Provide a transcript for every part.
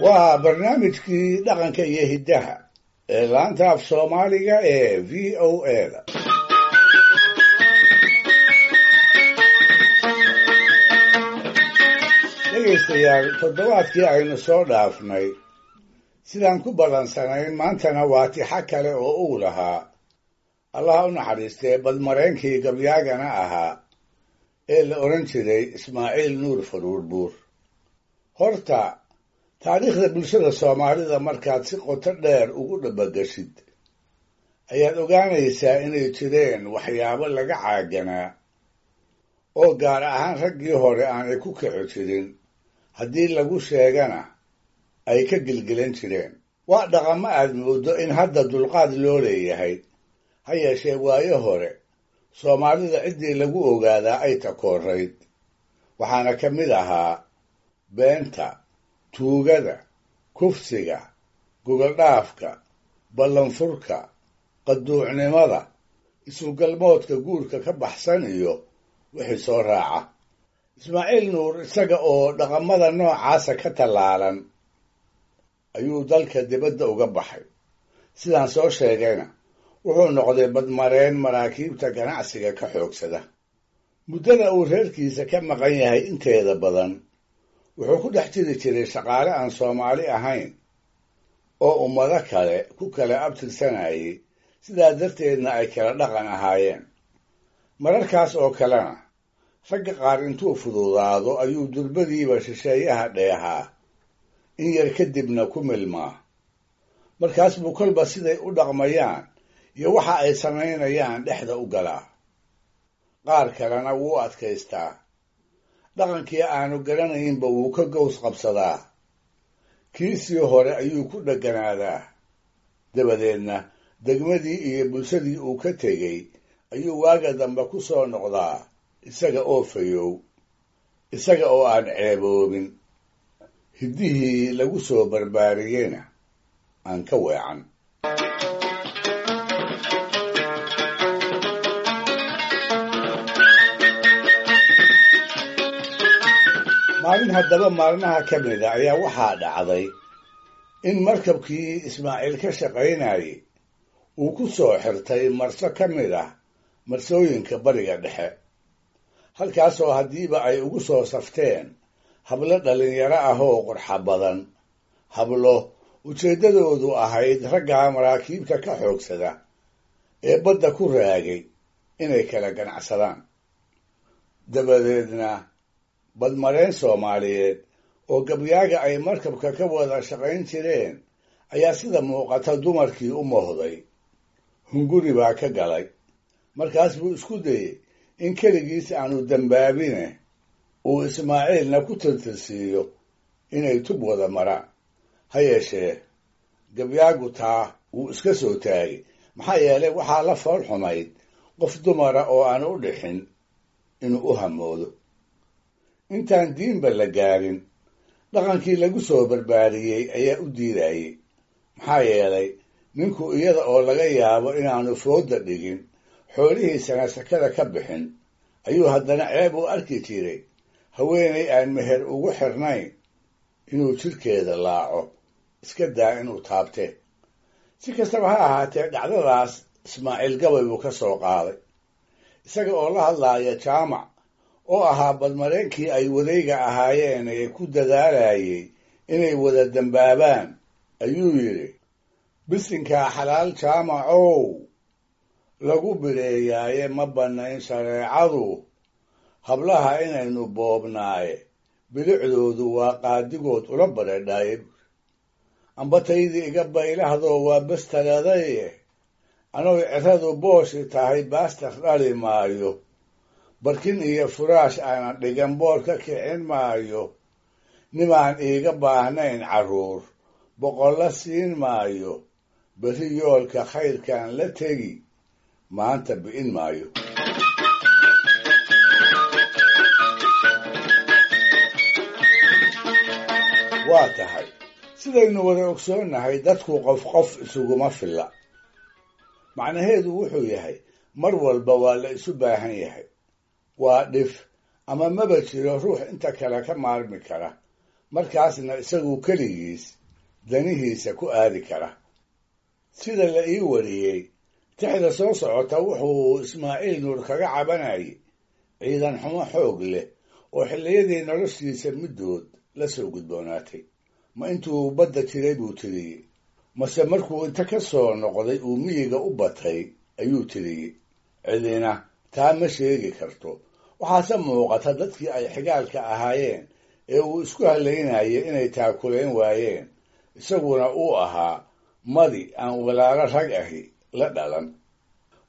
Waa barnaamijkii dhaqanka iyo hiddaha ee laanta af Soomaaliga ee VOA-da. Dhegaystayaal, toddobaadkii aynu soo dhaafnay sidaan ku ballansanayn, maantana waa tixo kale oo uu lahaa Allaha u naxariistee badmareenkii gabyaagana ahaa ee la odhan jiray Ismaaciil Nuur Faruurbuur. Horta taariikhda bulshada Soomaalida markaad si qoto dheer ugu dhabagashid ayaad ogaanaysaa inay jireen waxyaabo laga caaganaa oo gaar ahaan raggii hore aanay ku kici jirin, haddii lagu sheegana ay ka gelgelan jireen. Waa dhaqamo aad mooddo in hadda dulqaad loo leeyahay, ha yeeshee waayo hore Soomaalida ciddii lagu ogaadaa ay takoorayd. Waxaana ka mid ahaa beenta, tuugada, kufsiga, gogoldhaafka, ballanfurka, qaduucnimada, isugalmoodka guurka ka baxsan iyo wixii soo raaca. Ismaaciil Nuur isaga oo dhaqamada noocaasa ka tallaalan ayuu dalka dibadda uga baxay. Sidaan soo sheegayna wuxuu noqday badmareen maraakiibta ganacsiga ka xoogsada. Muddada uu reerkiisa ka maqan yahay inteeda badan wuxuu ku dhex jiri jiray shaqaale aan Soomaali ahayn oo ummado kale ku kala abtirsanayay, sidaa darteedna ay kala dhaqan ahaayeen. Mararkaas oo kalena ragga qaar intuu fududaado ayuu durbadiiba shisheeyaha dheehaa, in yar kadibna ku milmaa. Markaas buu kolba siday u dhaqmayaan iyo waxa ay samaynayaan dhexda u galaa. Qaar kalena wuu adkaystaa, dhaqankii aanu garanaynba wuu ka gows qabsadaa, kiisii hore ayuu ku dhegganaadaa. Dabadeedna degmadii iyo bulshadii uu ka tegey ayuu waaga dambe ku soo noqdaa isaga oo fayow, isaga oo aan ceeboobin, hiddihii lagu soo barbaariyeyna aan ka weecan. Maalin haddaba maalmaha ka mida ayaa waxaa dhacday in markabkii Ismaaciil ka shaqaynayay uu ku soo xirtay marso ka mid ah marsooyinka bariga dhexe, halkaasoo haddiiba ay ugu soo safteen hablo dhallinyaro ah oo qurxa badan, hablo ujeeddadoodu ahayd raggaa maraakiibta ka xoogsada ee badda ku raagay inay kala ganacsadaan. Dabadeedna badmareen Soomaaliyeed oo gabyaaga ay markabka ka wada shaqayn jireen ayaa sida muuqata dumarkii u mohday. Hunguri baa ka galay. Markaas buu isku dayey in keligiis aanu dambaabine uu Ismaaciilna ku tirtirsiiyo inay tub wada maraan. Ha yeeshee gabyaagu taa wuu iska soo taagay, maxaa yeelay waxaa la fool xumayd qof dumara oo aan u dhixin inuu u hamoodo. Intaan diinba la gaarin dhaqankii lagu soo barbaariyey ayaa u diidayey, maxaa yeelay ninku iyada oo laga yaabo inaanu foodda dhigin, xoolihiisana sakada ka bixin, ayuu haddana ceeb u arki jiray haweenay aan meher ugu xirnayn inuu jidhkeeda laaco, iska daa inuu taabtee. Si kastaba ha ahaatee, dhacdadaas Ismaaciil gabay buu ka soo qaaday, isaga oo la hadlaaya Jaamac oo ahaa badmareenkii ay wadayga ahaayeen ee ku dadaalayay inay wada dambaabaan. Ayuu yidhi: bisinkaa xalaal Jaamacow lagu bireeyaaye, ma bannayn shareecadu hablaha inaynu boobnaaye, bilicdoodu waa qaadigood ula bareedhaaye. Ambataydii iga baylahdoo waa bestaladaye, anoy ciradu booshi tahay baastar dhali maayo, barkin iyo furaash aanan dhigan boor ka kicin maayo, nimaan iiga baahnayn carruur boqolla siin maayo, berri yoolka khayrkaan la tegi maanta bi'in maayo. Waa tahay sidaynu wada ogsoonnahay, dadku qof qof isuguma filla. Macnaheedu wuxuu yahay mar walba waa la isu baahan yahay. Waa dhif ama maba jiro ruux inta kale ka maarmi kara, markaasna isagu keligiis danihiisa ku aadi kara. Sida la ii wariyey, tixda soo socota wuxuu Ismaaciil Nuur kaga cabanayay ciidan xumo xoog leh oo xilliyadii noloshiisa middood la soo gudboonaatay. Ma intuu badda jiray buu tiriyey, mase markuu inta ka soo noqday uu miyiga u batay ayuu tiriyey. Cidina taa ma sheegi karto. Waxaase muuqata dadkii ay xigaalka ahaayeen ee uu isku halaynayay inay taakulayn waayeen, isaguna uu ahaa madi aan walaalo rag ahi la dhalan.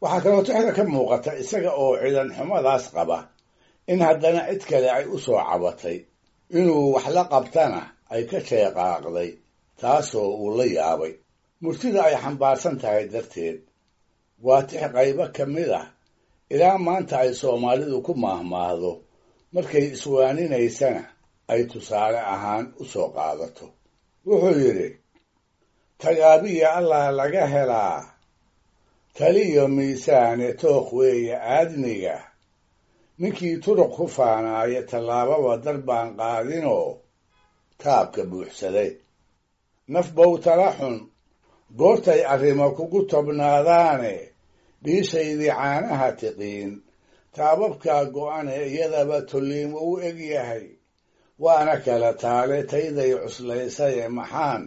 Waxaa kaloo tixda ka muuqata isaga oo ciidan xumadaas qaba in haddana cid kale ay u soo cabatay, inuu wax la qabtana ay ka sheeqaaqday, taasoo uu la yaabay. Murtida ay xambaarsan tahay darteed waa tix qaybo ka mid ah ilaa maanta ay Soomaalidu ku maahmaahdo, markay iswaaninaysana ay tusaale ahaan u soo qaadato. Wuxuu yidhi: tagaabiya Allah laga helaa, taliyo miisaane tooq weeye aadmiga, ninkii turuq ku faanaaya tallaababa dar baan qaadinoo taabka buuxsaday. Naf bow tala xun goortay arrimo kugu tobnaadaane, dhiishaydii caanaha tiqiin taababkaa go'ane iyadaba tolliimo u eg yahay, waana kala taale tayday cuslaysaye maxaan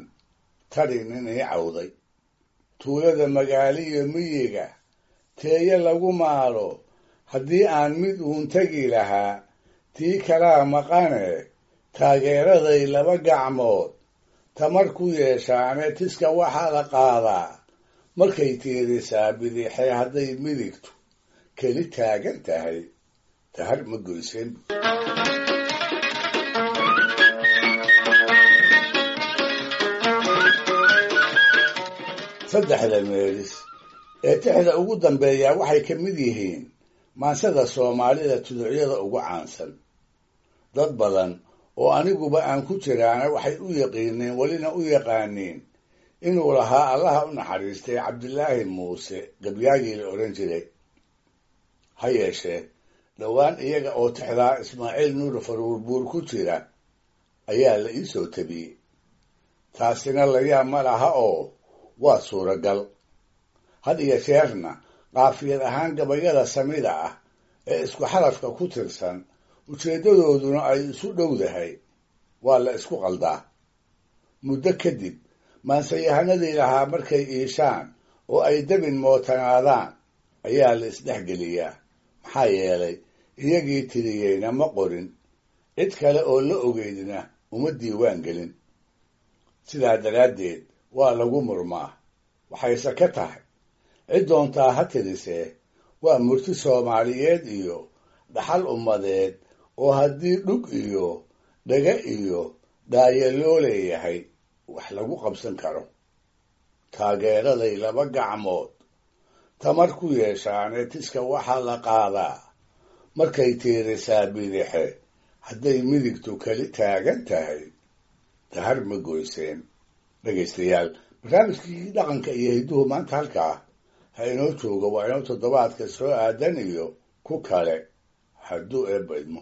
tadhi nin ii cawday. Tuulada magaaliyo miyiga teeye lagu maalo, haddii aan mid uun tegi lahaa tii kalaa maqane, taageeraday laba gacmood tamar ku yeeshaane, tiska waxaa la qaadaa markay tiirisaa bidixee, hadday midigtu keli taagan tahay tahar ma goyseen. Saddexda meelis ee tixda ugu dambeeyaa waxay ka mid yihiin maansada Soomaalida tuducyada ugu caansan. Dad badan oo aniguba aan ku jiraana waxay u yaqiineen, welina u yaqaaniin, inuu lahaa Allaha u naxariistay Cabdilaahi Muuse, gabyaagii la odhan jiray. Ha yeeshee dhowaan iyaga oo tixdaa Ismaaciil Nuur Faruurbuur ku jira ayaa la ii soo tabiyey. Taasina layaab ma laha oo waa suuragal. Had iyo jeerna qaafiyad ahaan gabayada samida ah ee isku xarafka ku tirsan, ujeeddadooduna ay isu dhowdahay, waa la isku qaldaa. Muddo kadib maansayahanadii lahaa markay iishaan oo ay debin mootanaadaan ayaa la isdhexgeliyaa, maxaa yeelay iyagii tiriyeyna ma qorin, cid kale oo la ogeydna uma diiwaan gelin. Sidaa daraaddeed waa lagu murmaa, waxayse ka tahay cid doontaa ha tirisee, waa murti Soomaaliyeed iyo dhaxal ummadeed oo haddii dhug iyo dhaga iyo dhaayo loo leeyahay wax lagu qabsan karo. Taageeraday laba gacmood tamar ku yeeshaane, tiska waxaa la qaadaa markay tiirisaa bidixe, hadday midigtu keli taagan tahay tahar ma goyseen. Dhegaystayaal, barnaamijkii dhaqanka iyo hidduhu maanta halkaa ha inoo joogo. Waa inoo toddobaadka soo aadan iyo ku kale hadduu eebba idmo.